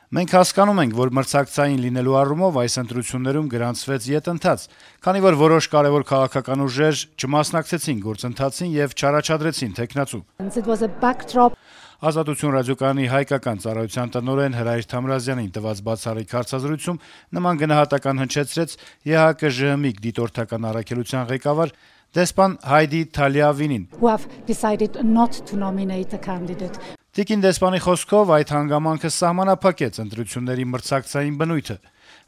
Մենք հասկանում ենք, որ մրցակցային լինելու առումով այս ընտրություններում գրանցվեց ետընթաց, քանի որ որոշ կարեւոր քաղաքական ուժեր չմասնակցեցին գործընթացին եւ չառաջադրեցին թեկնածու։ Ազատություն ռադիոկայանի հայկական ծառայության տնօրեն Հրայր Թամրազյանին տված բացառիկ հարցազրույցում նման գնահատական հնչեցրեց ԵՀԿ-ԺՀՄԻԿ դիտորդական առաքելության ղեկավար դեսպան Հայդի Թալիավինին։ Տիկին դեսպանի խոսքով այդ հանգամանքը սահմանափակեց ընտրությունների մրցակցային բնույթը։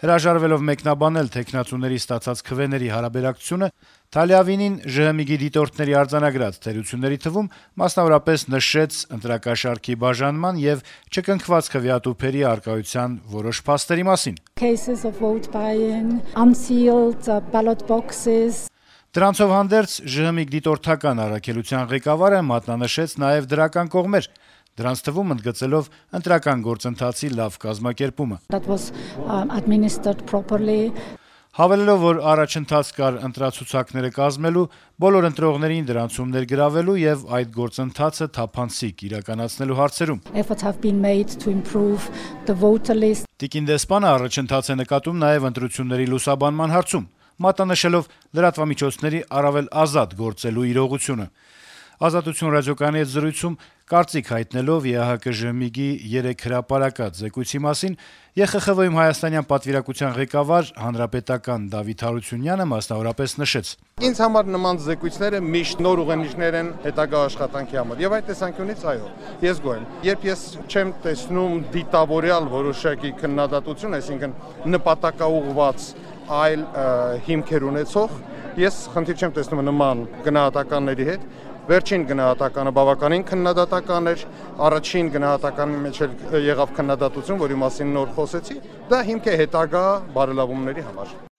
Հրաժարվելով մեկնաբանել թեկնածուների ստացած քվեների հարաբերակցությունը, Թալիավինին ԺՀՄԻԳ-ի դիտորդների արձանագրած թերությունների թվում մասնավորապես նշեց ընտրակաշառքի բաժանման եւ չկնքված քվեատուփերի առկայության որոշ փաստերի մասին։ Դրանցով հանդերձ ԺՀՄԻԳ դիտորդական առաքելության ղեկավարը մատնանշեց նաեւ դրական կողմեր, դրանց թվում ընդգծելով ընտրական գործընթացի լավ կազմակերպումը։ Հավելելով, որ առաջընթաց կար ընտրացուցակները կազմելու, բոլոր ընտրողներին դրանցում ներգրավելու եւ այդ գործընթացը թափանցիկ իրականացնելու հարցերում։ Տիկին դեսպանը առաջընթաց է նկատում նաեւ ընտրությունների լուսաբանման հարցում, մատնանշելով լրատվամիջոցների առավել ազատ գործելու իրողությունը։ Ազատություն ռադիոկայանի հետ զրույցում կարծիք հայտնելով ԵՀԿ-ԺՀՄԻԳ-ի 3 հրապարակած զեկույցի մասին ԵԽԽՎ-ում հայաստանյան պատվիրակության ղեկավար հանրապետական Դավիթ Հարությունյանը մասնավորապես նշեց. Ինձ համար նման զեկույցները միշտ նոր ուղենիշներ են հետագա աշխատանքի համար եւ այդ տեսանկյունից այո, ես գոհ եմ։ Երբ ես չեմ տեսնում դիտավորյալ որոշակի քննադատություն, այսինքն նպատակաուղղված այլ հիմքեր ունեցող, ես խնդիր չեմ տեսնում նման գնահատականների հետ։ Վերջին գնահատականը բավականին քննադատական էր, առաջին գնահատականի մեջ եղավ քննադատություն, որի մասին նոր խոսեցի, դա հիմք է հետագա բարելավումների համար։